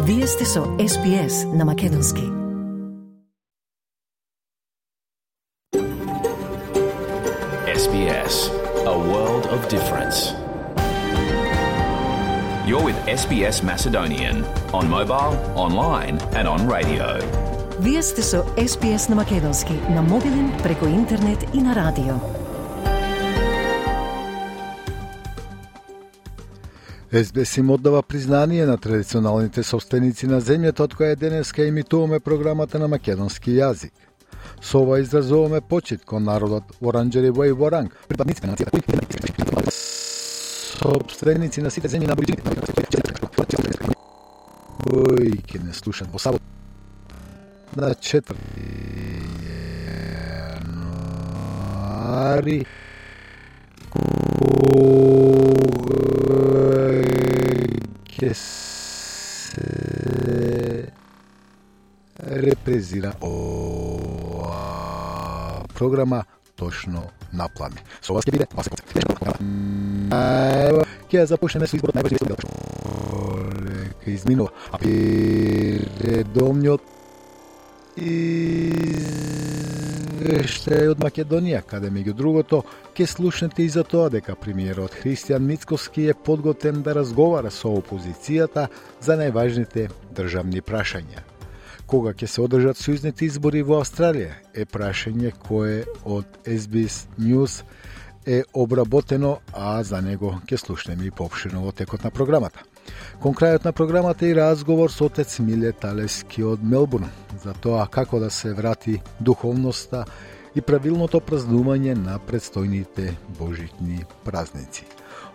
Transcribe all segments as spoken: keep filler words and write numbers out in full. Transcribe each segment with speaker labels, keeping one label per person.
Speaker 1: Вие сте со Ес Би Ес на Македонски.
Speaker 2: Ес Би Ес, a world of difference. You're with Ес Би Ес Macedonian on mobile, online and on radio.
Speaker 1: Вие сте со Ес Би Ес на Македонски, на мобилен, преку интернет и на радио.
Speaker 3: Ес Би Ес им оддава признание на традиционалните собственици на земјата од која денеска емитуваме програмата на македонски јазик. Со ова изразуваме почит кон народот Воранџериво и Воранг, припадници на нацијата кои собственици на сите земји на аборигени. Кои ќе не слушат во сабот на четврти јануари ќе се репрезира ова програма точно на план. Со вас ќе биде Васе Коцев. Ќе ја започнеме со изборот најважниот дел. Ке изминува, а редовниот извештај од Македонија, каде меѓу другото ќе слушнете и за тоа дека премиерот Христијан Мицкоски е подготвен да разговара со опозицијата за најважните државни прашања. Кога ќе се одржат сојузните избори во Австралија е прашање кое од Ес Би Ес News е обработено, а за него ќе слушнеме и поопширно во текот на програмата. Кон крајот на програмата и разговор со отец Миле Талески од Мелбурн за тоа како да се врати духовноста и правилното празнување на предстојните божитни празници.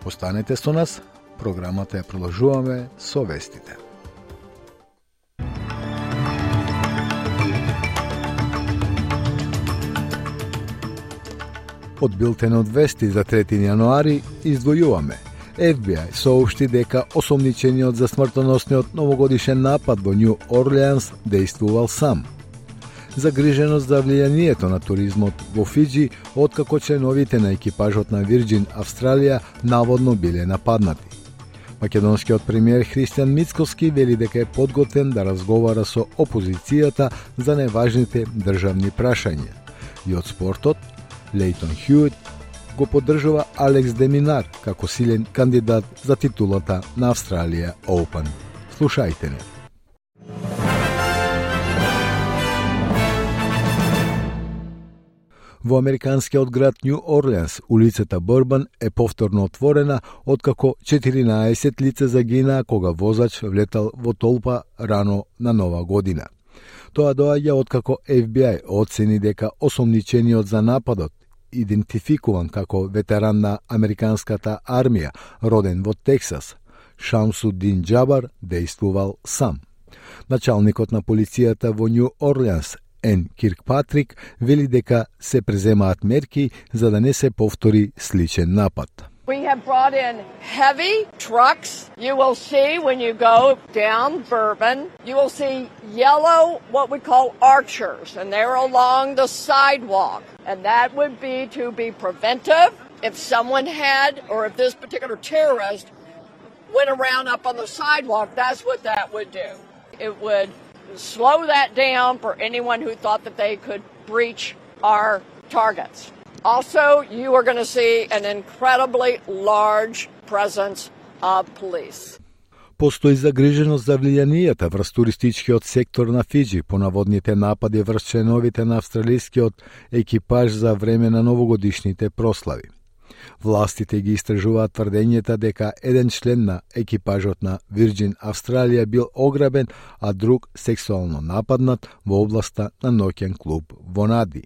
Speaker 3: Останете со нас, програмата ја продолжуваме со вестите. Од билтенот вести за трети јануари издвојуваме. Еф Би Ај соопшти дека осомничениот за смртоносниот новогодишен напад во Њу Орлеанс дејствувал сам. Загриженост за влијанието на туризмот во Фиџи откако членовите на екипажот на Вирџин Австралија наводно биле нападнати. Македонскиот премиер Христијан Мицкоски вели дека е подготвен да разговара со опозицијата за најважните државни прашања. И од спортот, Лейтон Хјуит го поддржува Алекс де Минар како силен кандидат за титулата на Австралија Оупен. Слушајте не. Во американскиот град Њу Орлеанс, улицата Борбан е повторно отворена откако четиринаесет лица загинаа кога возач влетал во толпа рано на Нова година. Тоа доаѓа откако Еф Би Ај оцени дека осомничениот за нападот, идентификуван како ветеран на американската армија, роден во Тексас, Шамсудин Џабар, дејствувал сам. Началникот на полицијата во Њу Орлеанс, Ен Киркпатрик, вели дека се преземаат мерки за да не се повтори сличен напад.
Speaker 4: We have brought in heavy trucks. You will see when you go down Bourbon, you will see yellow, what we call archers, and they're along the sidewalk. And that would be to be preventive if someone had, or if this particular terrorist went around up on the sidewalk, that's what that would do. It would slow that down for anyone who thought that they could breach our targets. Also, you are going to see an incredibly large presence of police.
Speaker 3: Постои загриженост за влијанието врз туристичкиот сектор на Фиџи по наводните напади врз членовите на австралискиот екипаж за време на новогодишните прослави. Властите ги истражуваат тврдењата дека еден член на екипажот на Вирџин Австралија бил ограбен, а друг сексуално нападнат во областа на ноќен клуб во Нади.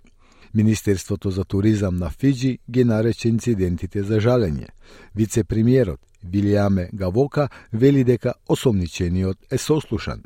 Speaker 3: Министерството за туризам на Фиџи ги нарече инцидентите за жалење. Вице-премиерот Вилијаме Гавока вели дека осомничениот е сослушан.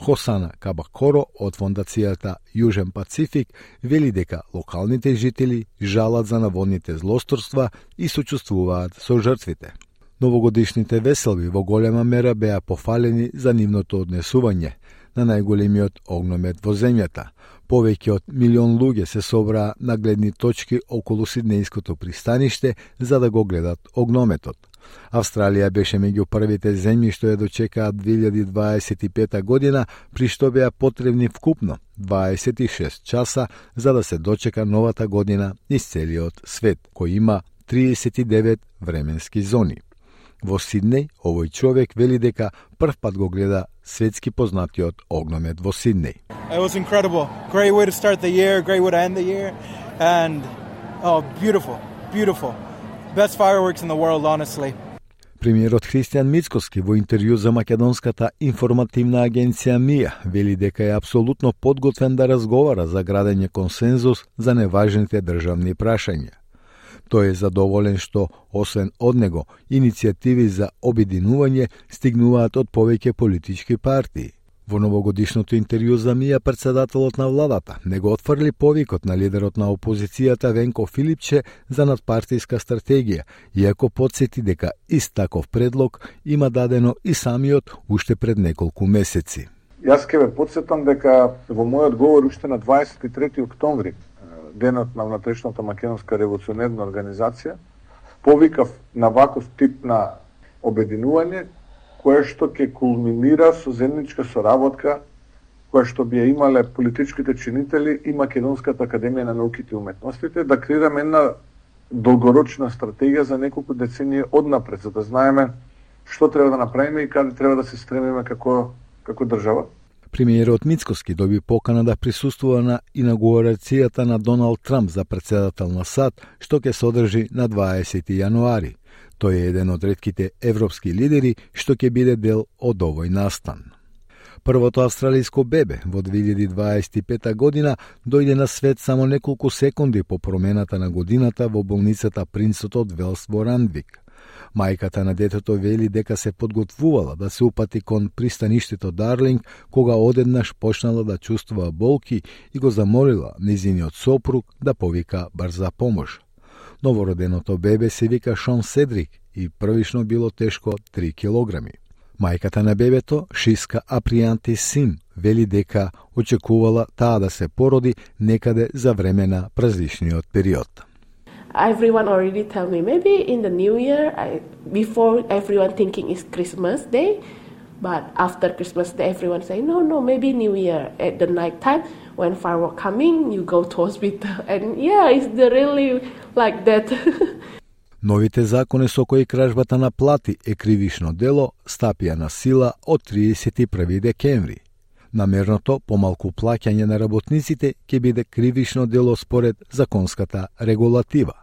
Speaker 3: Хосана Кабакоро од фондацијата Јужен Пацифик вели дека локалните жители жалат за наводните злосторства и сочувствуваат со жртвите. Новогодишните веселби во голема мера беа пофалени за нивното однесување на најголемиот огномет во земјата. Повеќе од милион луѓе се собраа на гледни точки околу Сиднејското пристаниште за да го гледат огнометот. Австралија беше меѓу првите земји што ја дочекаа две илјади дваесет и пета година, при што беа потребни вкупно дваесет и шест часа за да се дочека новата година низ целиот свет, кој има триесет и девет временски зони. Во Сиднеј, овој човек вели дека прв пат го гледа светски познатиот огномет во Сиднеј.
Speaker 5: It was incredible. Great way to start the year, great way to end the year, and oh, beautiful, beautiful. Best fireworks in the world, honestly.
Speaker 3: Премиерот Христијан Мицкоски во интервју за македонската информативна агенција МИА вели дека е апсолутно подготвен да разговара за градење консензус за неважните државни прашања. Тој е задоволен што, освен од него, иницијативи за обединување стигнуваат од повеќе политички партии. Во новогодишното интервју за МИА председателот на владата не го отфрли повикот на лидерот на опозицијата Венко Филипче за надпартиска стратегија, иако потсети дека ист таков предлог има дадено и самиот уште пред неколку месеци.
Speaker 6: Јас ке ве потсетам дека во мојот говор уште на дваесет и трети октомври, денот на внатрешната македонска револуционерна организација, повикав на ваков тип на обединување, кое што ќе кулминира со заедничка соработка, која што би ја имале политичките чинители и Македонската академија на науките и уметностите, да креираме една долгорочна стратегија за неколку децении однапред, за да знаеме што треба да направиме и каде треба да се стремиме како, како држава.
Speaker 3: Премиерот Мицкоски доби покана да присуствува на инаугурацијата на Доналд Трамп за председател на САД, што ќе се одржи на дваесети јануари. Тој е еден од ретките европски лидери што ќе биде дел од овој настан. Првото австралиско бебе во две илјади дваесет и пета година дојде на свет само неколку секунди по промената на годината во болницата Принцот од Велс во Рандвик. Мајката на детето вели дека се подготвувала да се упати кон пристаништето Дарлинг, кога одеднаш почнала да чувствува болки и го замолила низиниот сопруг да повика брза помош. Новороденото бебе се вика Шон Седрик и првично било тешко три килограми. Мајката на бебето, Шиска Апријанти Сим, вели дека очекувала таа да се породи некаде за време на празничниот период.
Speaker 7: Everyone already tell me maybe in the new year, I, before everyone thinking it's Christmas Day, but after Christmas Day everyone say no no maybe New Year at the night time when firework coming you go to hospital and yeah it's the really like that.
Speaker 3: Новите закони со кои кражбата на плати е кривишно дело стапија на сила од триесет и први декември. Намерното помалку плаќање на работниците ќе биде кривишно дело според законската регулатива.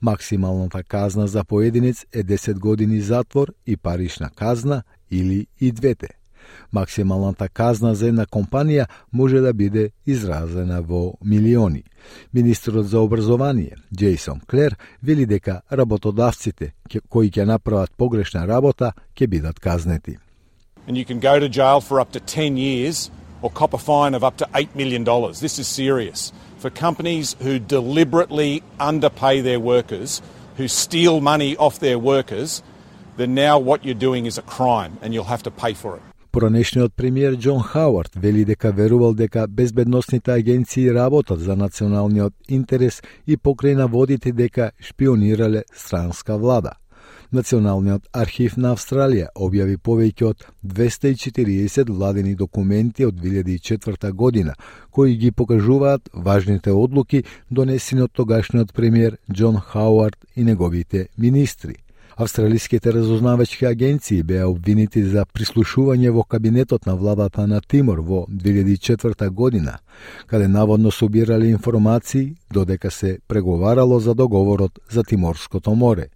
Speaker 3: Максималната казна за поединец е десет години затвор и парична казна или и двете. Максималната казна за една компанија може да биде изразена во милиони. Министерот за образование, Джейсон Клер, вели дека работодавците кои ќе направат погрешна работа ќе бидат казнети.
Speaker 8: And you can go to jail for up to ten years or cop a fine of up to eight million dollars. This is serious. For companies who deliberately underpay their workers, who steal money off their workers, then now what you're doing is a crime and you'll have to pay for it.
Speaker 3: Поранешниот премиер Џон Хауард вели дека верувал дека безбедносните агенции работат за националниот интерес и покрај наводите дека шпионирале странска влада. Националниот архив на Австралија објави повеќе од двесте и четириесет владени документи од две илјади и четврта година, кои ги покажуваат важните одлуки донесени од тогашниот премиер Џон Хауард и неговите министри. Австралиските разузнавачки агенции беа обвинети за прислушување во кабинетот на владата на Тимор во две илјади и четврта година, каде наводно собирале информации додека се преговарало за договорот за Тиморското море.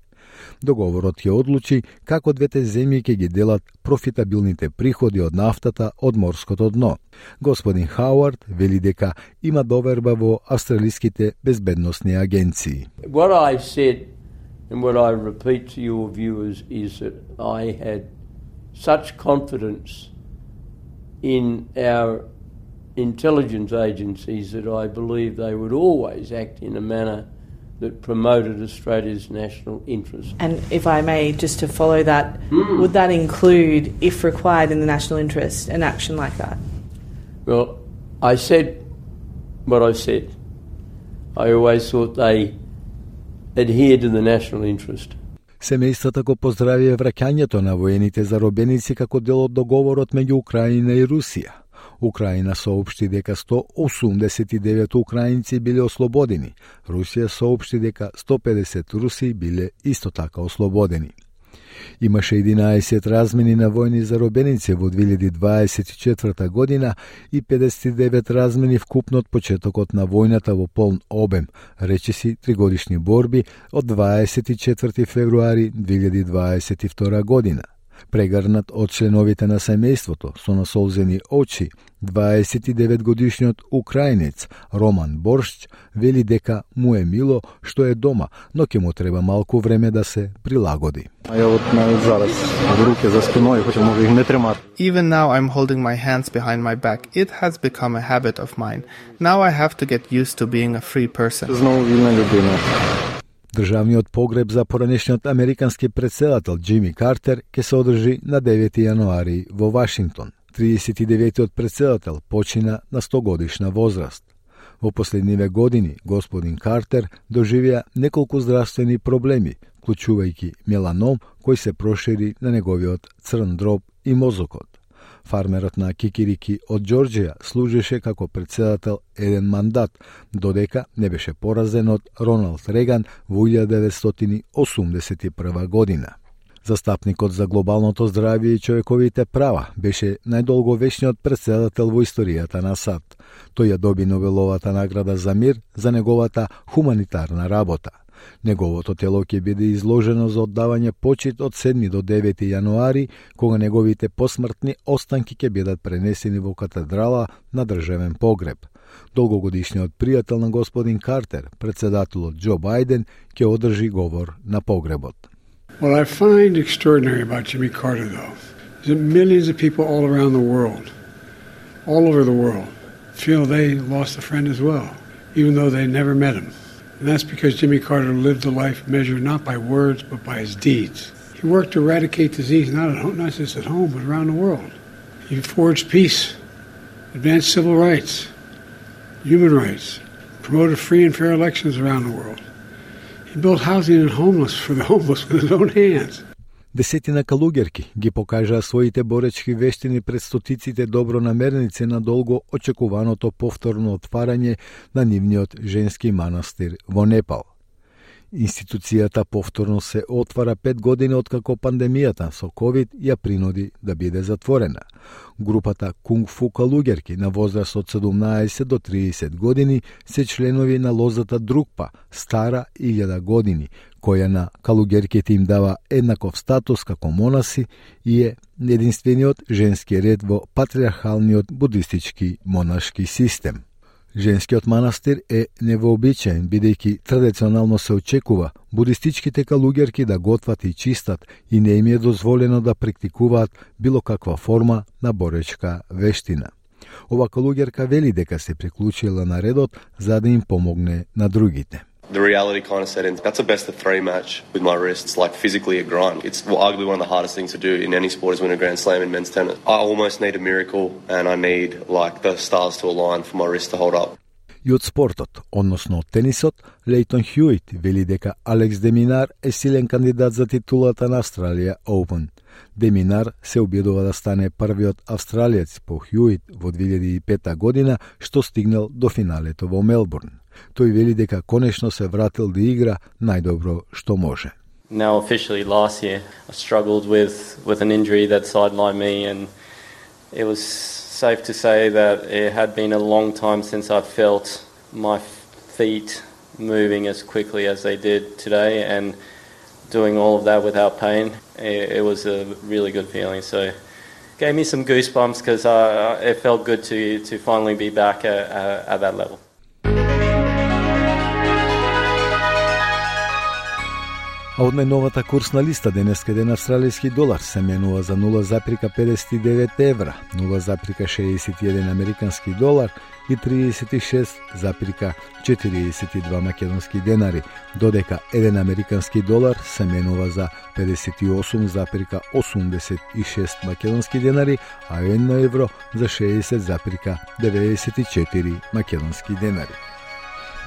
Speaker 3: Договорот ќе одлучи како двете земји ќе ги делат профитабилните приходи од нафтата од морското дно. Господин Хауард вели дека има доверба во австралиските безбедносни агенции.
Speaker 9: What I said and what I repeat to your viewers is that I had such confidence in our intelligence agencies that I believe they would always act in a manner that promoted Australia's national interest.
Speaker 10: And if I may, just to follow that, mm. would that include, if required in the national interest, an action like that?
Speaker 9: Well, I said what I said. I always thought they adhered to the national interest.
Speaker 3: Семејствата го поздравија враќањето на воените заробеници како дел од договорот меѓу Украина и Русија. Украина соопшти дека сто осумдесет и девет украинци биле ослободени. Русија соопшти дека сто педесет руси биле исто така ослободени. Имаше единаесет размени на војни заробеници во две илјади дваесет и четврта година и педесет и девет размени вкупно од почетокот на војната во полн обем, речиси тригодишни борби од дваесет и четврти февруари две илјади дваесет и втора година. Прегрнат од членовите на семејството со насолзени очи, дваесет и девет годишниот украинец Роман Боршч вели дека му е мило што е дома, но ќе му треба малку време да се прилагоди.
Speaker 11: Even now I'm holding my hands behind my back. It has become a habit of mine. Now I have to get used to being a free person.
Speaker 3: Државниот погреб за поранешниот американски претседател Џими Картер ќе се одржи на девети јануари во Вашингтон. триесет и деветиот претседател почина на сто годишна возраст. Во последниве години господин Картер доживеа неколку здравствени проблеми, вклучувајќи меланом кој се прошири на неговиот црн дроб и мозокот. Фармерот на Кикирики од Џорџија служеше како претседател еден мандат, додека не беше поразен од Роналд Реган во илјада деветстотини осумдесет и прва година. Застапникот за глобалното здравје и човековите права беше најдолговечниот претседател во историјата на САД. Тој ја доби Нобеловата награда за мир за неговата хуманитарна работа. Неговото тело ќе биде изложено за оддавање почит од седми до девети јануари, кога неговите посмртни останки ќе бидат пренесени во катедрала на државен погреб. Долгогодишниот пријател на господин Картер, претседателот Џо Бајден, ќе одржи говор на погребот.
Speaker 12: What I find extraordinary about Jimmy Carter, though, is that millions of people all around the world, all over the world, feel they lost a friend as well, even though they never met him. And that's because Jimmy Carter lived a life measured not by words, but by his deeds. He worked to eradicate disease not, at home, not just at home, but around the world. He forged peace, advanced civil rights, human rights, promoted free and fair elections around the world. He built housing and homeless for the homeless with his own hands.
Speaker 3: Десетина калуѓерки ги покажаа своите боречки вештини пред стотиците добронамерници на долго очекуваното повторно отварање на нивниот женски манастир во Непал. Институцијата повторно се отвара пет години откако пандемијата со ковид ја принуди да биде затворена. Групата кунг-фу калуѓерки на возраст од седумнаесет до триесет години се членови на лозата Друкпа, стара илјада години, која на калуѓерките им дава еднаков статус како монаси и е единствениот женски ред во патриархалниот будистички монашки систем. Женскиот манастир е невообичаен, бидејќи традиционално се очекува будистичките калуѓерки да готват и чистат и не им е дозволено да практикуваат било каква форма на боречка вештина. Ова калуѓерка вели дека се приклучила на редот за да им помогне на другите.
Speaker 13: The reality kind of set in. That's a best of three match with my wrists, like physically a grind. It's arguably one of the hardest things to do in any sport is win a Grand Slam in men's tennis. I almost need a miracle and I need like the stars to align for my wrist to hold up.
Speaker 3: И од спортот, односно од тенисот, Лейтон Хјуит вели дека Алекс де Минар е силен кандидат за титулата на Австралија Open. Де Минар се обидува да стане првиот австралиец по Хјуит во две илјади и пета година, што стигнал до финалето во Мелбурн. Тој вели дека конечно се вратил да игра најдобро што може.
Speaker 14: Now officially last year I struggled with with an injury that sidelined me and it was safe to say that it had been a long time since I felt my feet moving as quickly as they did today and doing all of that without pain. It, it was a really good feeling. So it gave me some goosebumps because uh, it felt good to to finally be back at, at, at that level.
Speaker 3: А од најновата курсна листа денеска еден австралијски долар се менува за нула запирка педесет и девет евра, нула запирка шеесет и еден американски долар и триесет и шест запирка четириесет и два македонски денари, додека еден американски долар се менува за педесет и осум запирка осумдесет и шест македонски денари, а едно евро за шеесет запирка деветдесет и четири македонски денари.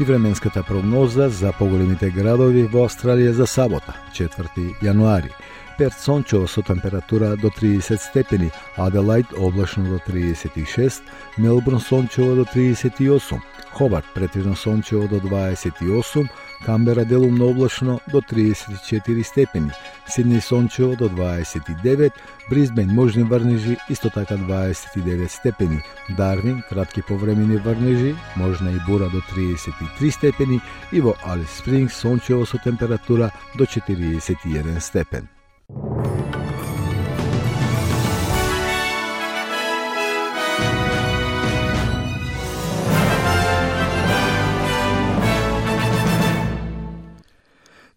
Speaker 3: и временската прогноза за поголемите градови во Австралија за сабота, четврти јануари. Перт сончево со температура до триесет степени, Аделајд облачно до триесет и шест, Мелбурн сончево до триесет и осум, Хобарт претежно сончево до дваесет и осум, Камбера делумно облачно до триесет и четири степени, Сиднеј сончево до дваесет и девет, Брисбен можни врнежи исто така дваесет и девет степени, Дарвин кратки повремени врнежи, можна и бура до триесет и три степени и во Алис Спрингс сончево со температура до четириесет и еден степен.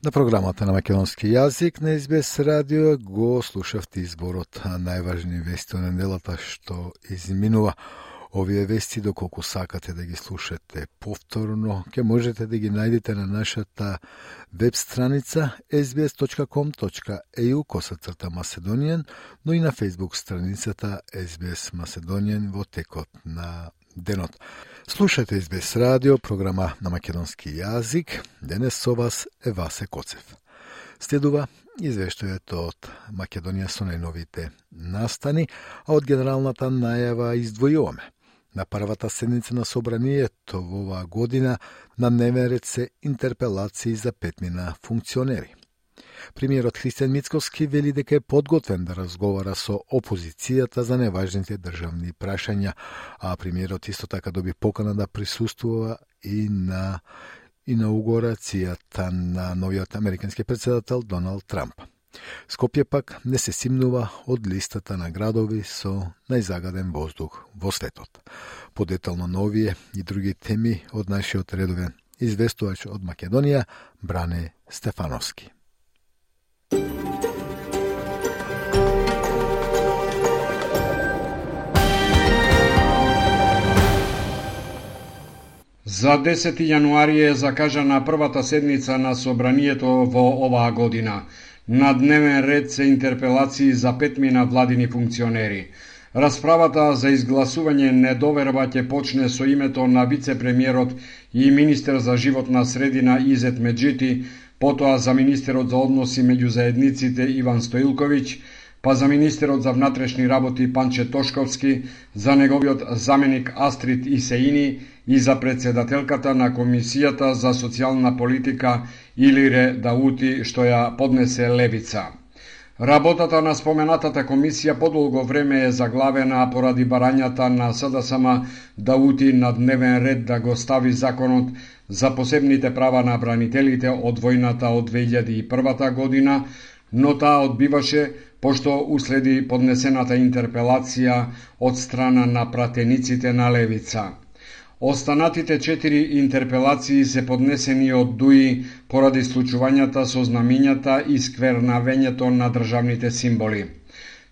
Speaker 3: На програмата на македонски јазик на Ес Би Ес радио го слушавте изборот најважни вести од неделата што изминува. Овие вести, доколку сакате да ги слушате повторно, ќе можете да ги најдете на нашата веб страница ес би ес точка ком точка е ю косацрта Macedonian, но и на Facebook страницата Ес Би Ес Macedonian во текот на денот. Слушате Ес Би Ес радио, програма на македонски јазик. Денес со вас е Васе Коцев. Следува извештајето од Македонија со најновите настани, а од генералната најава издвојуваме. На првата седница на собранието во оваа година на дневен ред се интерпелации за петмина функционери. Премиерот Христијан Мицкоски вели дека е подготвен да разговара со опозицијата за неважните државни прашања, а премиерот исто така доби покана да присуствува и на инаугурацијата на новиот американски председател Доналд Трамп. Скопје пак не се симнува од листата на градови со најзагаден воздух во светот. Подетално новие и други теми од нашиот редовен известувач од Македонија, Бране Стефановски.
Speaker 15: За десети јануари е закажана првата седница на собранието во оваа година. На дневен ред се интерпелации за петмина владини функционери. Расправата за изгласување недоверба ќе почне со името на вице-премиерот и министер за животна средина Изет Меджити, потоа за министерот за односи меѓу заедниците Иван Стоилковиќ, па за министерот за внатрешни работи Панче Тошковски, за неговиот заменик Астрид Исеини и за председателката на Комисијата за социјална политика Илире Даути, што ја поднесе Левица. Работата на споменатата комисија подолго време е заглавена поради барањата на СДСМ Даути на дневен ред да го стави законот за посебните права на бранителите од војната од две илјади и прва година, но таа одбиваше пошто уследи поднесената интерпелација од страна на пратениците на Левица. Останатите четири интерпелации се поднесени од ДУИ поради случувањата со знамињата и сквернавењето на државните символи.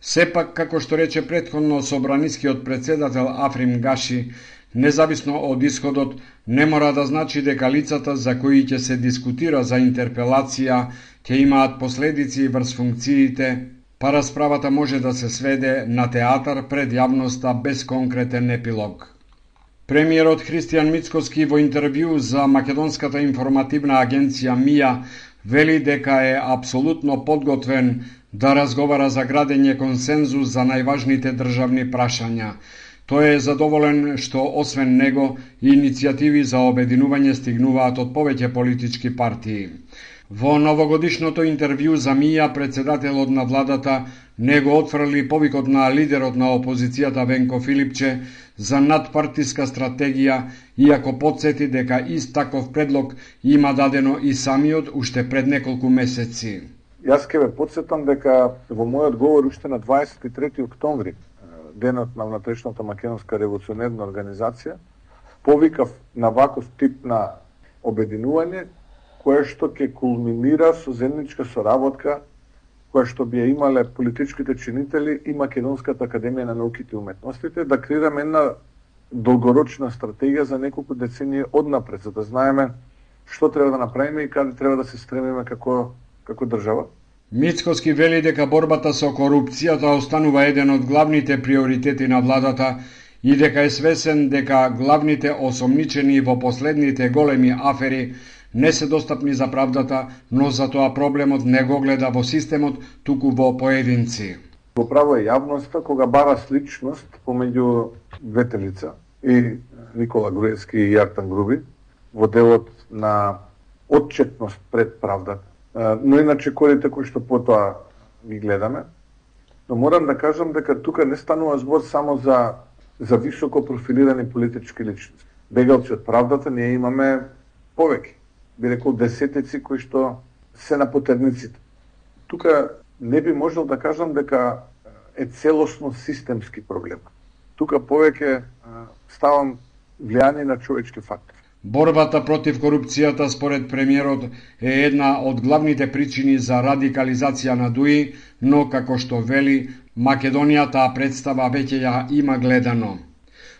Speaker 15: Сепак, како што рече претходно собранискиот председател Африм Гаши, независно од исходот, не мора да значи дека лицата за кои ќе се дискутира за интерпелација ќе имаат последици врз функциите, па расправата може да се сведе на театар пред јавноста без конкретен епилог. Премиерот Христијан Мицкоски во интервју за Македонската информативна агенција МИА вели дека е апсолутно подготвен да разговара за градење консензус за најважните државни прашања. Тој е задоволен што освен него иницијативи за обединување стигнуваат од повеќе политички партии. Во новогодишното интервју за МИА председателот на владата не го отфрли повикот на лидерот на опозицијата Венко Филипче за надпартиска стратегија, иако потсети дека ист таков предлог има дадено и самиот уште пред неколку месеци.
Speaker 6: Јас ќе ве потсетам дека во мојот говор уште на дваесет и трети октомври, денот на внатрешната македонска револуционерна организација, повикав на ваков тип на обединување, кое што ќе кулминира со заедничка соработка која што би ја имале политичките чинители и Македонската академија на науките и уметностите, да креираме една долгорочна стратегија за неколку децении однапред, за да знаеме што треба да направиме и каде треба да се стремиме како, како држава.
Speaker 15: Мицкоски вели дека борбата со корупцијата останува еден од главните приоритети на владата и дека е свесен дека главните осомничени во последните големи афери не се достапни за правдата, но затоа проблемот не го гледа во системот, туку во поединци.
Speaker 6: Во право е јавноста кога бара сличност помеѓу двете лица, и Никола Груевски и Јартан Груби, во делот на отчетност пред правдата. Но иначе корите кои што потоа ги гледаме, но морам да кажам дека тука не станува збор само за за високо профилирани политички личности. Бегалци од правдата ние имаме повеќе, би рекол десетици кои што се на потерниците. Тука не би можел да кажам дека е целосно системски проблем. Тука повеќе ставам влијание на човечки фактор.
Speaker 15: Борбата против корупцијата според премиерот е една од главните причини за радикализација на ДУИ, но како што вели, Македонија таа представа веќе ја има гледано.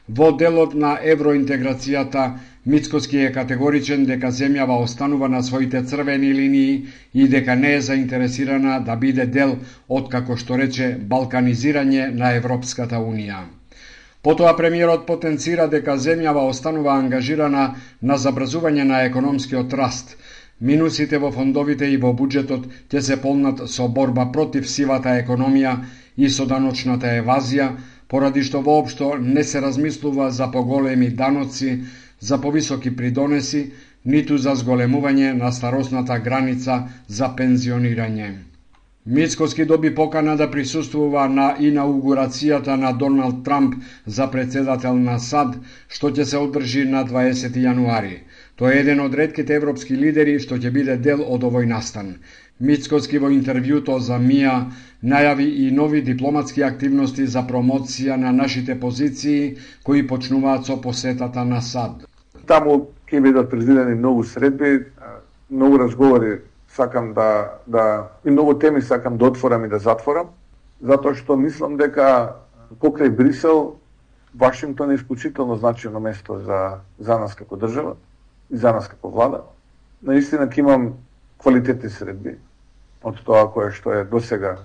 Speaker 15: Во делот на евроинтеграцијата, Мицкоски е категоричен дека земјава останува на своите црвени линии и дека не е заинтересирана да биде дел од, како што рече, балканизирање на Европската Унија. Потоа премиерот потенцира дека земјава останува ангажирана на забрзување на економскиот раст. Минусите во фондовите и во буџетот ќе се полнат со борба против сивата економија и со даночната евазија, поради што воопшто не се размислува за поголеми даноци, за повисоки придонеси, ниту за зголемување на старосната граница за пензионирање. Мицкоски доби покана да присуствува на инаугурацијата на Доналд Трамп за председател на САД, што ќе се одржи на дваесети јануари. Тој е еден од ретките европски лидери што ќе биде дел од овој настан. Мицкоски во интервјуто за МИА најави и нови дипломатски активности за промоција на нашите позиции кои почнуваат со посетата на САД.
Speaker 6: Таму ќе бидат предвидени многу средби, многу разговори сакам да, да и многу теми сакам да отворам и да затворам, затоа што мислам дека покрај Брисел, Вашингтон е исклучително значено место за, за нас како држава и за нас како влада. Наистина ќе имам квалитетни средби од тоа кое што е досега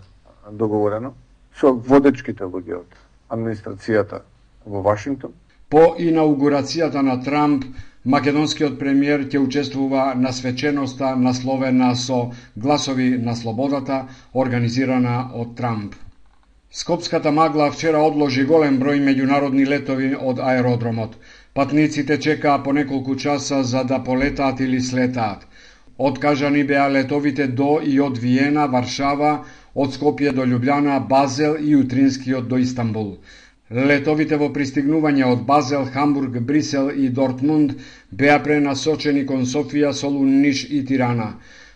Speaker 6: договорено со водечките луѓе од администрацијата во Вашингтон.
Speaker 15: По инаугурацијата на Трамп, македонскиот премиер ќе учествува на свеченоста насловена со Гласови на слободата, организирана од Трамп. Скопската магла вчера одложи голем број меѓународни летови од аеродромот. Патниците чекаа по неколку часа за да полетаат или слетаат. Откажани беа летовите до и од Виена, Варшава, од Скопје до Љубљана, Базел и утринскиот до Истанбул. Летовите во пристигнување од Базел, Хамбург, Брисел и Дортмунд беа пренасочени кон Софија, Солун, Ниш и Тирана.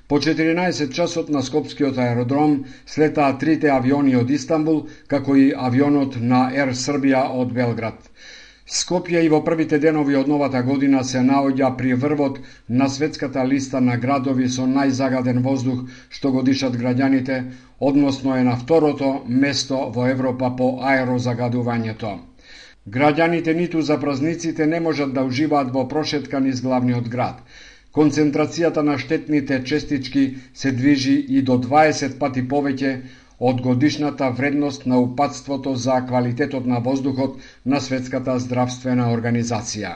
Speaker 15: По четиринаесет часот на Скопскиот аеродром слетаа трите авиони од Истанбул, како и авионот на Ер Србија од Белград. Скопје и во првите денови од новата година се наоѓа при врвот на светската листа на градови со најзагаден воздух што го дишат граѓаните, односно е на второто место во Европа по аерозагадувањето. Граѓаните ниту за празниците не можат да уживаат во прошетка низ главниот град. Концентрацијата на штетните честички се движи и до дваесет пати повеќе од годишната вредност на упатството за квалитетот на воздухот на Светската здравствена организација.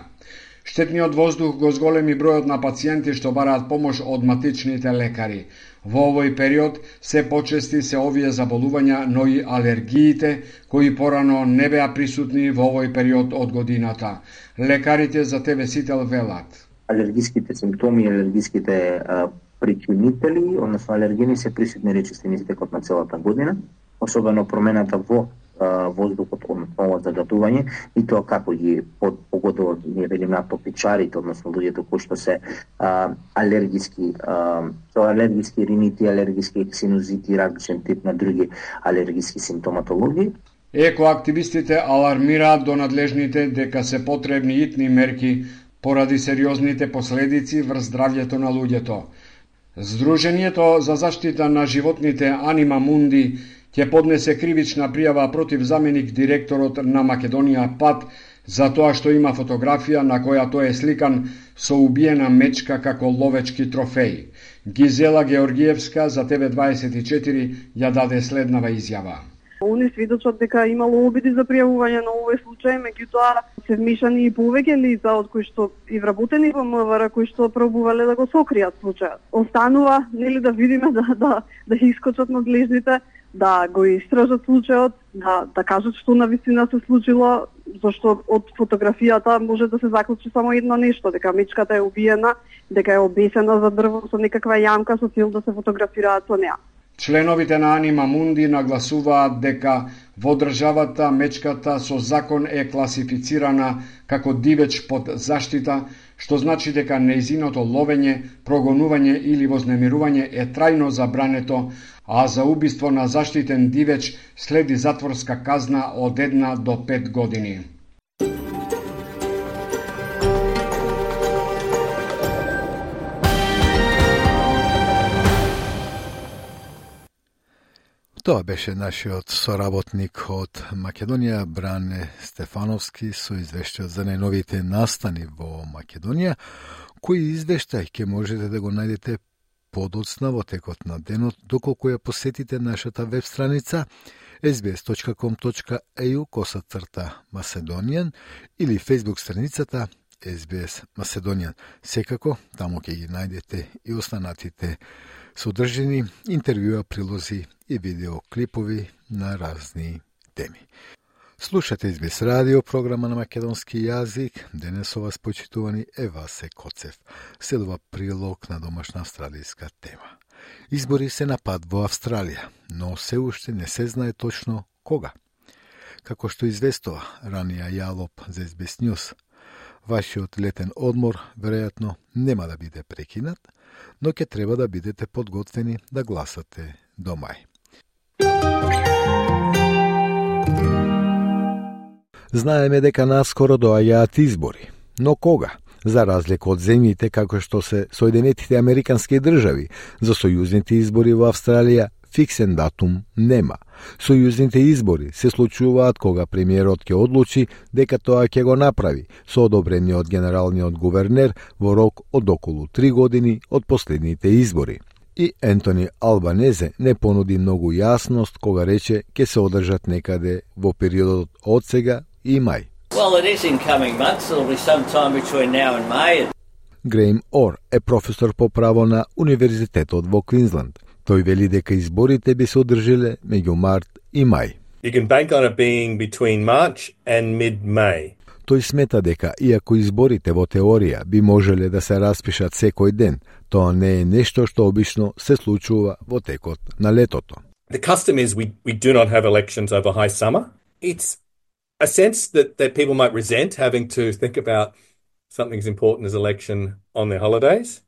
Speaker 15: Штетниот воздух го зголеми бројот на пациенти што бараат помош од матичните лекари. Во овој период се почести се овие заболувања, но и алергиите, кои порано не беа присутни во овој период од годината. Лекарите за Те Ве Сител велат.
Speaker 16: Алергиските симптоми, алергиските а, причинители, односно алергени се присутни речиси низ текот на целата година, особено промената во а, воздухот, односно загадување, и тоа како ги погодува, ние велиме атопичарите, односно луѓето кои што се а, алергиски, а, со алергиски ринити, алергиски синузити, различен тип на други алергиски симптоматологии.
Speaker 15: Екоактивистите алармираат до надлежните дека се потребни итни мерки поради сериозните последици врз здравјето на луѓето. Сдруженијето за заштита на животните Анима Мунди ќе поднесе кривична пријава против заменик директорот на Македонија ПАТ за тоа што има фотографија на која тој е сликан со убиена мечка како ловечки трофеј. Гизела Георгиевска за Те Ве дваесет и четири ја даде следнава изјава.
Speaker 17: Они сведочат дека имало обиди за пријавување на овој случај, меѓутоа се вмешани и повеќе лица од кои што и вработени во МВР кои што пробувале да го сокријат случајот. Останува нели да видиме да да да искочат надлежните, да го истражат случајот, да да кажат што навистина се случило, зашто од фотографијата може да се заклучи само едно нешто, дека мечката е убиена, дека е обесена за дрво со некаква јамка со цел да се фотографираат со неа.
Speaker 15: Членовите на Анима Мунди нагласуваат дека во државата мечката со закон е класифицирана како дивеч под заштита, што значи дека нејзиното ловење, прогонување или вознемирување е трајно забрането, а за убиство на заштитен дивеч следи затворска казна од една до пет години.
Speaker 3: Тоа беше нашиот соработник од Македонија, Бране Стефановски, со извештајот за најновите настани во Македонија, кој извештај ќе можете да го најдете подоцна во текот на денот, доколку ја посетите нашата веб страница ес би ес точка ком точка е ю косацрта Macedonian или фејсбук страницата ес би ес Macedonian. Секако, таму ќе ги најдете и останатите содржини, интервјуа, прилози и видеоклипови на разни теми. Слушате ес би ес радио, програма на македонски јазик. Денес со вас почитувани е Васе Коцев. Следува прилог на домашна австралијска тема. Избори се на пат во Австралија, но се уште не се знае точно кога. Како што известува ранија Јалоп за ес би ес News, вашиот летен одмор веројатно нема да биде прекинат, но ќе треба да бидете подготвени да гласате до мај. Знаеме дека наскоро доаѓаат избори, но кога? За разлика од земјите како што се Соединетите Американски држави, за сојузните избори во Австралија фиксен датум нема. Сојузните избори се случуваат кога премиерот ќе одлучи дека тоа ќе го направи со одобрение од генералниот гувернер во рок од околу три години од последните избори. И Ентони Албанезе не понуди многу јасност кога рече ќе се одржат некаде во периодот од сега и мај.
Speaker 18: Well, it is in coming months. It'll be sometime between now and May.
Speaker 3: Грейм Ор е професор по право на Универзитетот во Квинсленд. Тој вели дека изборите би се одржиле меѓу март и мај.
Speaker 19: You can bank on it being between March and mid-May.
Speaker 3: Тој смета дека, иако изборите во теорија би можеле да се распишат секој ден, тоа не е нешто што обично се случува во текот на летото.
Speaker 19: The custom is we, we do not have elections over high summer. It's a sense that, that people might resent having to think about something as important as election on their holidays.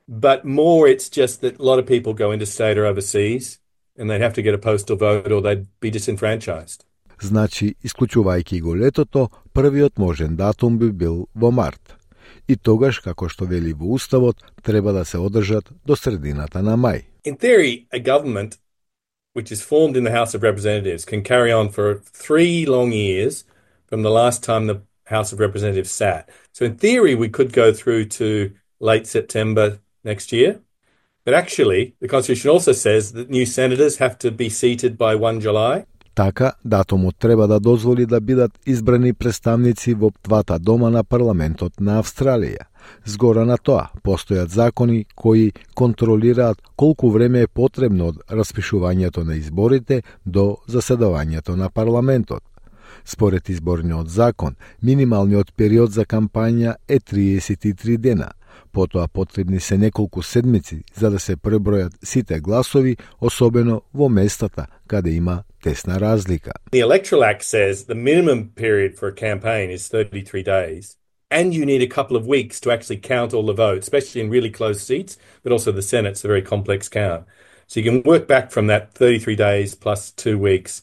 Speaker 19: But more it's just that a lot of people go interstate or overseas and they'd have to get a postal vote or they'd be disenfranchised.
Speaker 3: Значи, исклучувајќи го летото, првиот можен датум би бил во март. И тогаш, како што вели во Уставот, треба да се одржат до средината на мај.
Speaker 19: In theory, a government which is formed in the House of Representatives can carry on for three long years from the last time the House of Representatives sat. So in theory, we could go through to late September next year. But actually, the Constitution also says that new senators have to be seated by first of July.
Speaker 3: Така, датумот треба да дозволи да бидат избрани представници во двата дома на парламентот на Австралија. Згора на тоа, постојат закони кои контролираат колку време е потребно од распишувањето на изборите до заседавањето на парламентот. Според изборниот закон, минималниот период за кампања е триесет и три дена. Потоа потребни се неколку седмици за да се пребројат сите гласови, особено во местата каде има тесна разлика.
Speaker 19: The Electoral Act says the minimum period for a campaign is thirty-three days, and you need a couple of weeks to actually count all the votes, especially in really close seats, but also the Senate's a very complex count. So you can work back from that thirty-three days plus two weeks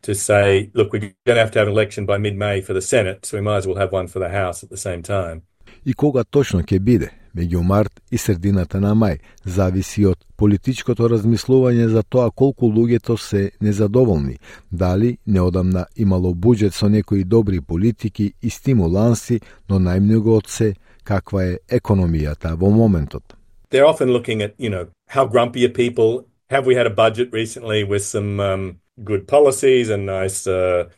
Speaker 19: to say, look, we're going to have to have an election by mid-May for the Senate, so we might as well have one for the House at the same time.
Speaker 3: И кога точно ќе биде, меѓу март и средината на мај, зависи од политичкото размислување за тоа колку луѓето се незадоволни, дали неодамна имало буџет со некои добри политики и стимуланси, но најмногу од се каква е економијата во моментот.
Speaker 19: They're often looking at, you know, how grumpy are people? Have we had a budget recently with some um, good policies and nice uh,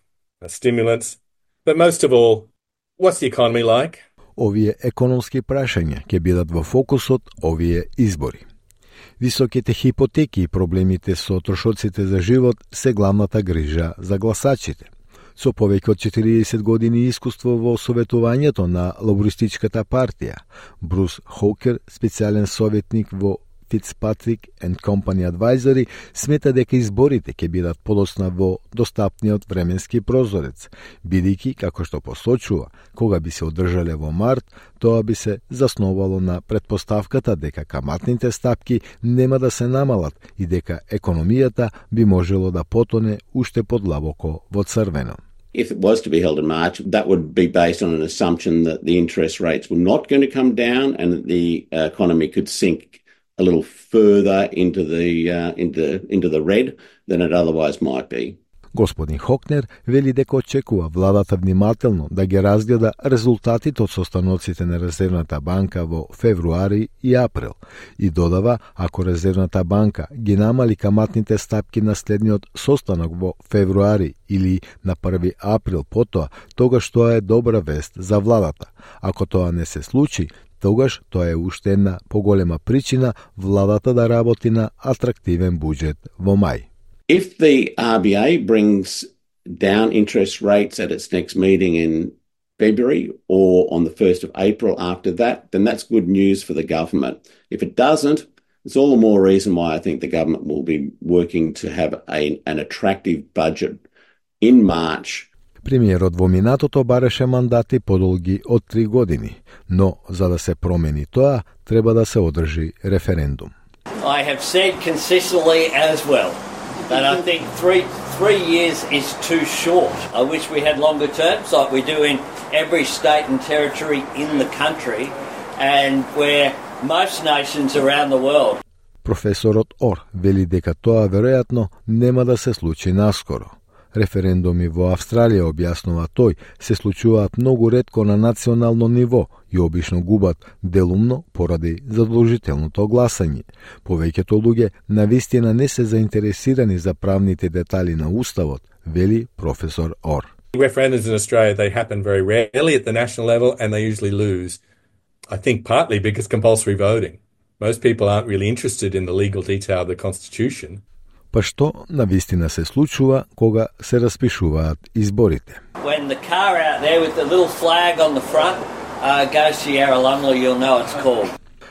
Speaker 19: stimulants. But most of all, what's the economy like?
Speaker 3: Овие економски прашања ќе бидат во фокусот овие избори. Високите хипотеки и проблемите со трошоците за живот се главната грижа за гласачите. Со повеќе од четириесет години искуство во советувањето на лабористичката партија, Брус Хоукер, специјален советник во Fitzpatrick and Company Advisory, смета дека изборите ќе бидат подоцна во достапниот временски прозорец, бидејќи, како што посочува, кога би се одржале во март, тоа би се засновало на предпоставката дека каматните стапки нема да се намалат и дека економијата би можело да потоне уште подлабоко во црвено.
Speaker 20: If it was to be held in March, that would be based on an assumption that the interest rates were not going to come down and that the uh, economy could sink a little further into the uh, into into the red than it otherwise might be.
Speaker 3: Господин Хокнер вели дека очекува владата внимателно да ги разгледа резултатите од состаноците на Резервната банка во февруари и април и додава, ако Резервната банка ги намали каматните стапки на следниот состанок во февруари или на први април потоа, тогаш тоа е добра вест за владата. Ако тоа не се случи, тогаш тоа е уште една поголема причина владата да работи на атрактивен буџет во мај.
Speaker 20: If the R B A brings down interest rates at its next meeting in February or on the first of April after that, then that's good news for the government. If it doesn't, it's all the more reason why I think the government will be working to have a, an attractive budget in March.
Speaker 3: Премиерот во минатото бараше мандати подолги од три години, но за да се промени тоа, треба да се одржи референдум.
Speaker 18: I have said consistently as well that I think three three years is too short. I wish we had longer terms like we do in every state and territory in the country and where most nations around the world.
Speaker 3: Професорот Ор вели дека тоа веројатно нема да се случи наскоро. Референдуми во Австралија, објаснува тој, се случуваат многу ретко на национално ниво и обично губат делумно поради задолжителното гласање. Повеќето луѓе навистина не се заинтересирани за правните детали на уставот, вели професор Ор.
Speaker 19: Referendums in Australia, they happen very rarely at the national level and they usually lose. I think partly because compulsory voting. Most people aren't really interested in the legal detail of the Constitution.
Speaker 3: Па што навистина се случува кога се распишуваат изборите.
Speaker 18: When the car out there with the little flag on the front uh, goes to Yarralumla, you'll know it's called.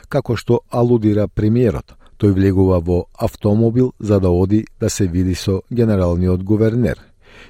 Speaker 3: Како што алудира премиерот, тој влегува во автомобил за да оди да се види со генералниот гувернер.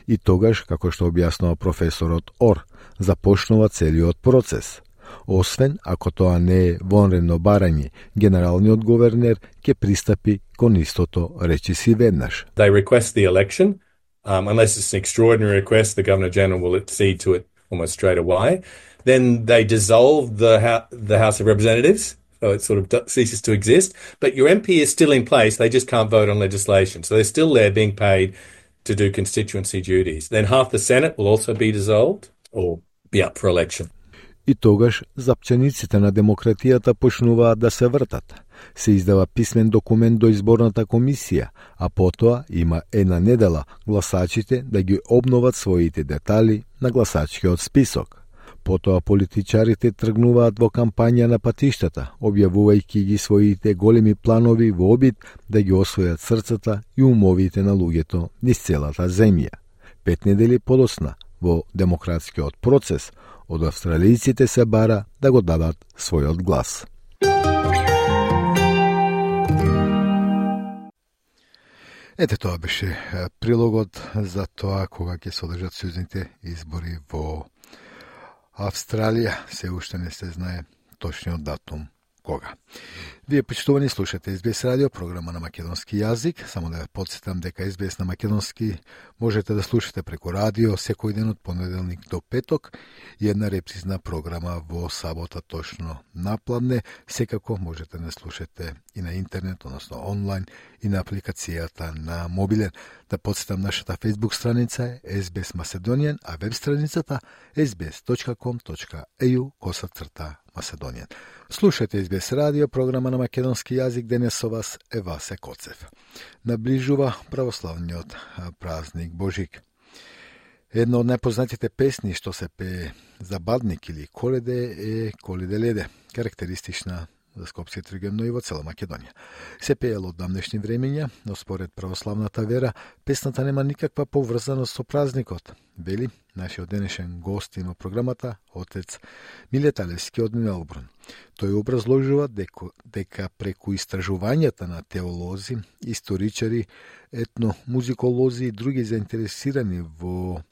Speaker 3: И тогаш, како што објаснува професорот Ор, започнува целиот процес. Освен ако тоа не е вонредно барање, генералниот гувернер ќе пристапи кон истото речиси веднаш.
Speaker 19: They request the election, um, unless it's an extraordinary request, the Governor General will accede to it almost straight away. Then they dissolve the, the House of Representatives, so it sort of ceases to exist. But your M P is still in place, they just can't vote on legislation. So they're still there being paid to do constituency duties. Then half the Senate will also be dissolved or be up for election.
Speaker 3: И тогаш запчениците на демократијата почнуваат да се вртат. Се издава писмен документ до изборната комисија, а потоа има една недела гласачите да ги обноват своите детали на гласачкиот список. Потоа политичарите тргнуваат во кампања на патиштата, објавувајќи ги своите големи планови во обид да ги освојат срцата и умовите на луѓето низ целата земја. Пет недели подоцна, во демократскиот процес, од австралијците се бара да го дадат својот глас. Ете, тоа беше прилогот за тоа кога ќе се одржат сојузните избори во Австралија. Се уште не се знае точниот датум кога. Вие, почитувани, слушате Ес Би Ес радио, програма на македонски јазик. Само да ве потсетам дека Ес Би Ес на македонски можете да слушате преку радио секој ден од понеделник до петок и една репризна програма во сабота точно напладне. Секако можете да слушате и на интернет, односно онлайн, и на апликацијата на мобилен. Да потсетам, нашата фейсбук страница е Ес Би Ес Macedonian, а веб страницата ес би ес точка ком точка ей ю коса црта Macedonian. Слушате Ес Би Ес радио, програма на македонски јазик. Денес со вас е Васе Коцев. Наближува православниот празник Божик. Една од најпознатите песни што се пее за Бадник или Коледе е Коледе леде, карактеристична за Скопскиот регион, но и во цела Македонија. Се пеело од давнешни времења, но според православната вера, песната нема никаква поврзаност со празникот, вели нашиот денешен гост во програмата, отец Милета Левски од Мелбурн. Тој образложува дека, дека преку истражувањата на теолози, историчари, етномузиколози и други заинтересирани во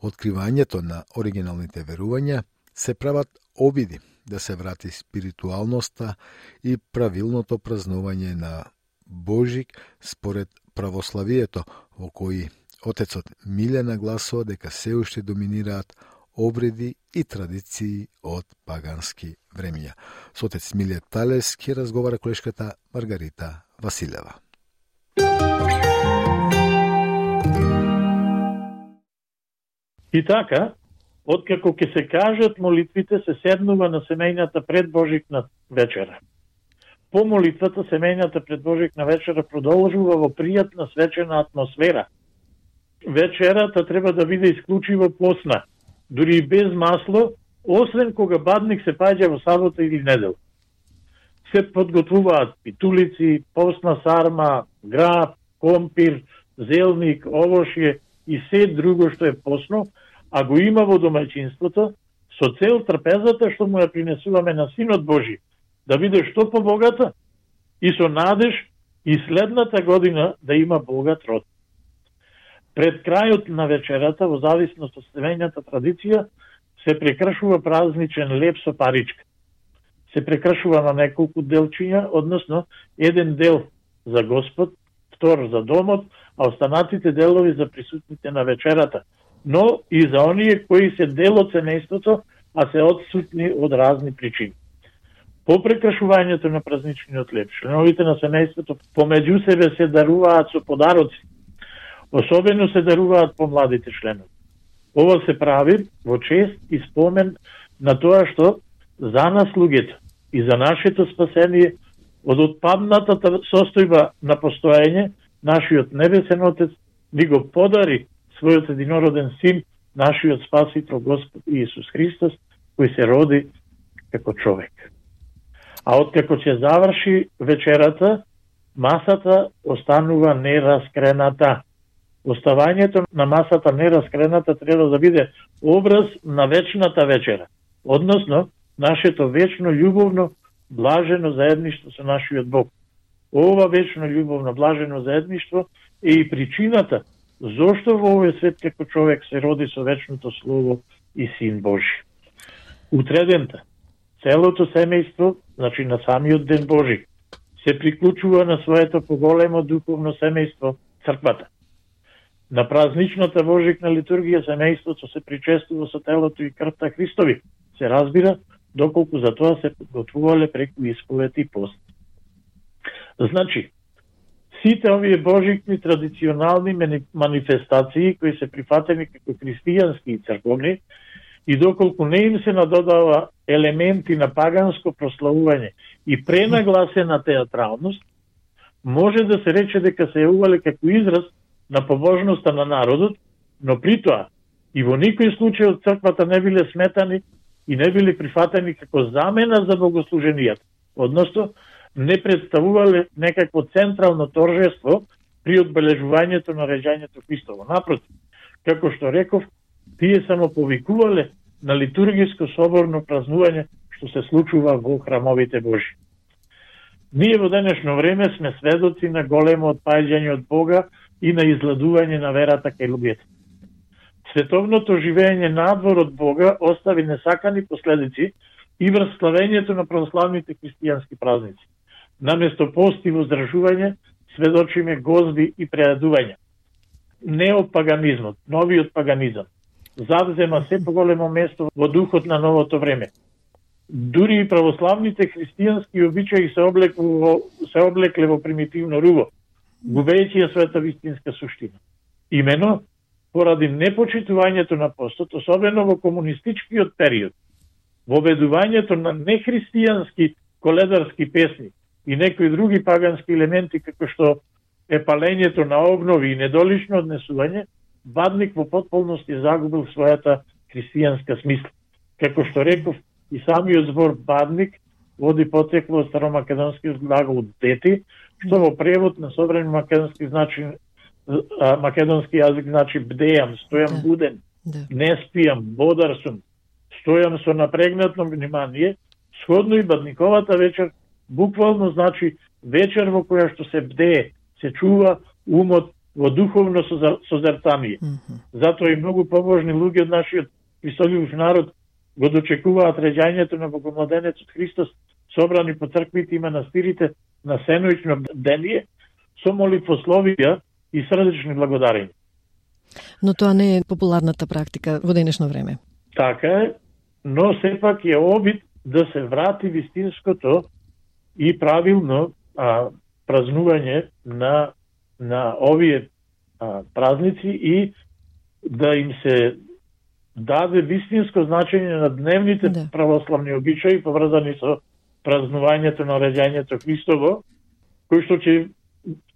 Speaker 3: откривањето на оригиналните верувања, се прават обиди да се врати спиритуалноста и правилното празнување на Божик според православието, во кои отецот Миле нагласува дека се уште доминираат обреди и традиции од пагански времења. Со отец Миле Талевски разговара колешката Маргарита Василева.
Speaker 21: И така, откако ќе се кажат молитвите, се седнува на семејната пред Божикна вечера. По молитвата, семејната пред Божикна вечера продолжува во пријатна свечена атмосфера. Вечерата треба да биде исклучиво постна, дури и без масло, освен кога Бадник се паѓа во сабота или недел. Се подготвуваат питулици, постна сарма, граб, компир, зелник, овошје и се друго што е постно, а го има во домаќинството, со цел трпезата што му ја принесуваме на Синот Божи, да биде што побогата и со надеж и следната година да има богат род. Пред крајот на вечерата, во зависност од семејната традиција, се прекршува празничен леп со паричка. Се прекршува на неколку делчиња, односно еден дел за Господ, втор за домот, а останатите делови за присутните на вечерата, но и за оние кои се дел од семејството, а се отсутни од разни причини. По прекршувањето на празничниот леп, членовите на семејството помеѓу себе се даруваат со подароци. Особено се даруваат помладите членови. Ова се прави во чест и спомен на тоа што за нас луѓето и за нашето спасение од отпаднатата состојба на постоење, нашиот небесен Отец ни го подари својот единороден Син, нашиот Спасител Господ Иисус Христос, кој се роди како човек. А откако ќе заврши вечерата, масата останува нераскрената. Оставањето на масата нераскрената треба да биде образ на вечната вечера, односно нашето вечно љубовно, блажено заедништво со нашиот Бог. Ова вечно љубовно, блажено заедништво е и причината зошто во овој свет како човек се роди со вечното Слово и Син Божи. Утредента, целото семејство, значи на самиот Ден Божи, се приклучува на своето поголемо духовно семејство, црквата. На празничната Божикна литургија семејството се причестува со телото и крвта Христови, се разбира, доколку за тоа се подготвувале преку исповед и пост. Значи, сите овие божикни традиционални манифестации кои се прифатени како христијански и црковни, и доколку не им се надодава елементи на паганско прославување и пренагласена театралност, може да се рече дека се јавувале како израз на побожноста на народот, но при тоа и во никој случај од црквата не биле сметани и не биле прифатени како замена за богослуженијата, односно не представувале некакво централно торжество при одбележувањето на раѓањето Христово. Напротив, како што реков, тие само повикувале на литургиско соборно празнување што се случува во храмовите Божи. Ние во денешно време сме сведоци на големо отпаѓање од Бога и на изладување на верата кај луѓето. Световното живење надвор од Бога остави несакани последици и врз славењето на православните христијански празници. Наместо пост и воздржување, сведочиме гозби и прејадувања. Неопаганизмот, новиот паганизам, завзема се поголемо место во духот на новото време. Дури и православните христијански обичаи се облекле, се облекле во примитивно руво, губејќи ја својата вистинска суштина. Имено, поради непочитувањето на постот, особено во комунистичкиот период, воведувањето на нехристијански коледарски песни и некои други пагански елементи, како што е палењето на огнови и недолично однесување, Бадник во потполност е загубил својата христијанска смисла. Како што реков, и самиот збор Бадник води потекло од старомакедонскиот глагол дети, што во превод на современ македонски значи македонски јазик значи бдеам, стојам буден, не спијам, бодар сум, стојам со напрегнато внимание. Сходно и Бадниковата вечер буквално значи вечер во која што се бдее, се чува умот во духовно созерцание. Mm-hmm. Затоа и многу побожни луѓе од нашиот Христолюбив народ го дочекуваат реѓањето на Богомладенецот Христос, собрани по црквите и манастирите на сеноично бдение, со молитвословија и срдечни благодарења.
Speaker 1: Но тоа не е популарната практика во денешно време.
Speaker 21: Така е, но сепак е обид да се врати вистинското и правилно а, празнување на на овие а, празници и да им се даде вистинско значење на дневните да. православни обичаи поврзани со празнувањето на реѓањето Христово, кои што ќе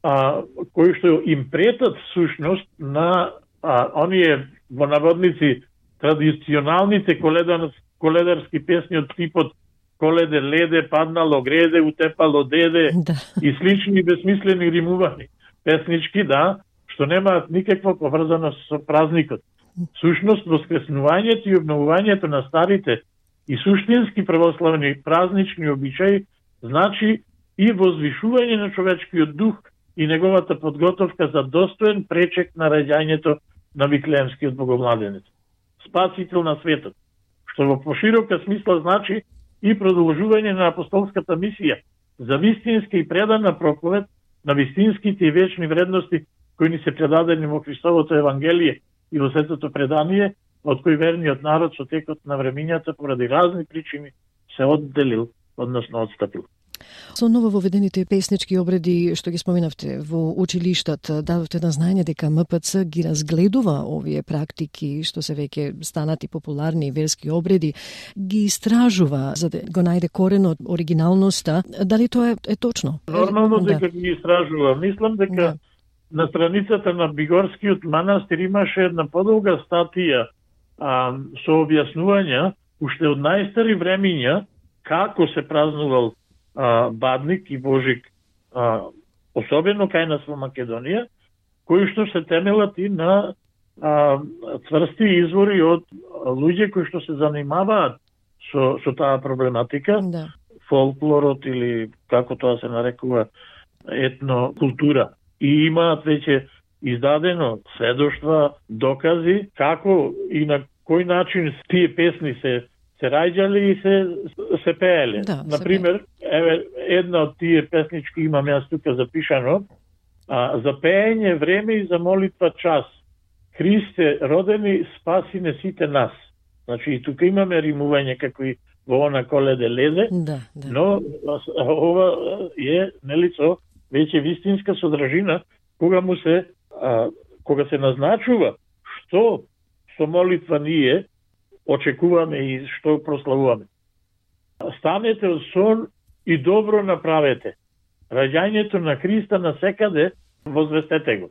Speaker 21: а, кои што им претат сушност на а, оние во наводници традиционалните коледар, коледарски песни од типот Коледе леде, паднало греде, утепало деде да. и слични безсмислени римувани песнички, да, што немаат никаква поврзано со празникот. Сушност, воскреснувањето и обновувањето на старите и суштински православни празнични обичаи значи и возвишување на човечкиот дух и неговата подготовка за достоен пречек на раѓањето на Виклеемскиот Богомладенец, спасител на светот, што во поширока смисла значи и продолжување на апостолската мисија за вистинска и предана проповед на вистинските и вечни вредности кои ни се предадени во Христовото Евангелие и во Светото предание, од кои верниот народ со текот на времињата поради разни причини се одделил, односно отстапил.
Speaker 1: Со ново воведените песнички обреди што ги споменавте во училиштата, дадовте на знаење дека М П Ц ги разгледува овие практики што се веќе станати популарни верски обреди, ги истражува за да го најде коренот, оригиналноста. Дали тоа е, е точно?
Speaker 21: Нормално
Speaker 1: да.
Speaker 21: дека ги истражува. Мислам дека да. на страницата на Бигорскиот манастир имаше една подолга статија а, со објаснувања уште од најстари времиња како се празнувал а, Бадник и Божик, а, особено кај нас во Македонија, кои што се темелат и на а, цврсти извори од луѓе кои што се занимаваат со, со таа проблематика,
Speaker 1: да.
Speaker 21: фолклорот или како тоа се нарекува етнокултура. И имаат веќе издадено сведоштва, докази како и на кој начин тие песни се се раѓали и се се пееле.
Speaker 1: Да,
Speaker 21: Например, еве една од тие песнички имам јас тука запишано, а, за пеење време и за молитва час. Христе родени, спаси не сите нас. Значи и тука имаме римување како и во она Коледе леде,
Speaker 1: да, да.
Speaker 21: но ова е нели со веќе вистинска содржина кога му се а, кога се назначува што со молитва ние очекуваме и што прославуваме. Станете од сон и добро направете. Раѓањето на Христа насекаде возвестете го.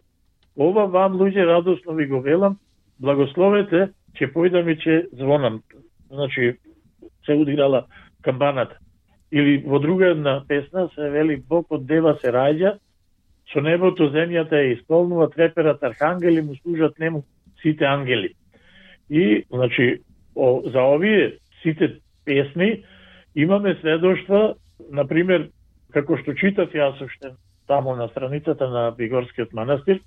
Speaker 21: Ова вам, луѓе, радосно ви го велам, благословете, ќе појдам и ќе звонам. Значи, се удирала камбаната. Или во друга една песна се вели Бог од дева се раѓа, со небото земјата ја исполнува, треперат архангели, му служат нему сите ангели. И, значи, о, за овие сите песни имаме сведоштва, например, како што читав јас уште таму на страницата на Бигорскиот манастир,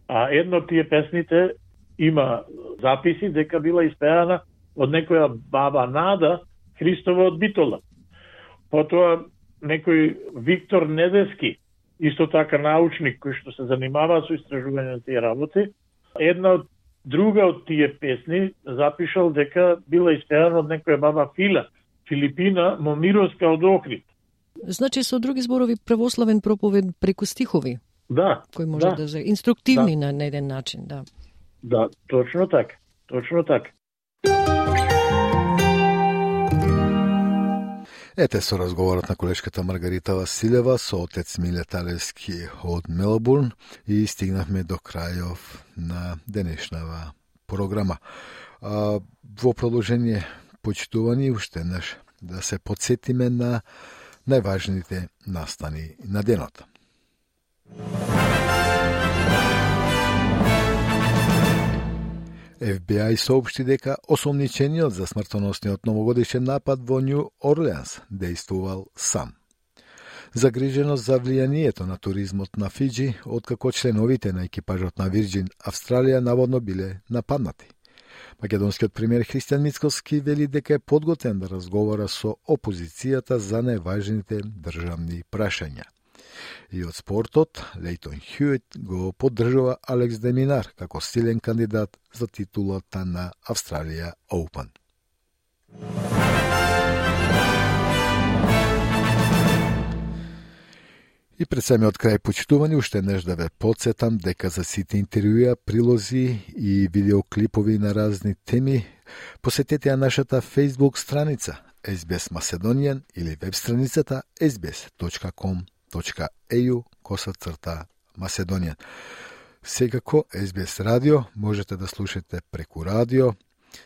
Speaker 21: а едно од тие песните има записи дека била испеана од некоја баба Нада Христова од Битола. Потоа некој Виктор Недески, исто така научник кој што се занимава со истражување на тие работи, една од друга од тие песни запишал дека била испеана од некоја баба Фила, Филипина Момировска од Охрид.
Speaker 1: Значи со други зборови православен проповед преку стихови.
Speaker 21: Да.
Speaker 1: Кои може да, да се инструктивни да. на еден начин, да.
Speaker 21: Да, точно така. Точно така.
Speaker 3: Ете со разговорот на колешката Маргарита Василева со отец Миле Талевски од Мелбурн и стигнавме до крајов на денешнава програма. А, во продолжение, почитувани, уште еднаш да се подсетиме на најважните настани на денот. Еф Би Ај соопшти дека осомничениот за смртоносниот новогодишен напад во Њу Орлеанс действувал сам. Загриженост за влијанието на туризмот на Фиџи, откако членовите на екипажот на Вирџин Австралија наводно биле нападнати. Македонскиот премиер Христијан Мицкоски вели дека е подготвен да разговара со опозицијата за најважните државни прашања. И од спортот, Лейтон Хјуит го поддржува Алекс де Минар како силен кандидат за титулата на Австралија Оупен. И пред самиот крај, почитувани, уште еднаш да ве подсетам дека за сите интервјуа, прилози и видеоклипови на разни теми посетете ја нашата Facebook страница Ес Би Ес Macedonian или веб страницата ес би ес точка ком точка ей ю косацрта Macedonian. Секако Ес Би Ес радио можете да слушате преку радио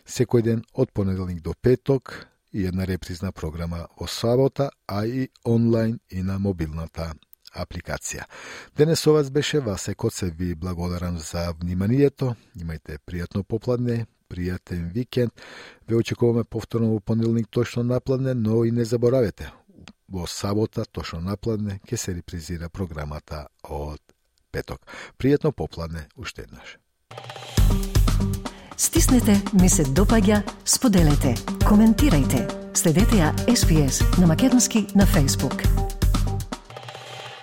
Speaker 3: секој ден од понеделник до петок и една репризна програма во сабота, а и онлайн и на мобилната апликација. Денес со вас беше Васе Коце, ви благодарам за вниманието. Имајте пријатно попладне, пријатен викенд. Ве очекуваме повторно во понеделник точно напладне, но и не заборавете, во сабота точно напладне ќе се репризира програмата од петок. Пријатно попладне уште еднаш.
Speaker 1: Стиснете, ми се допаѓа, споделете, коментирајте. Следете ја Ес Би Ес на македонски на Facebook.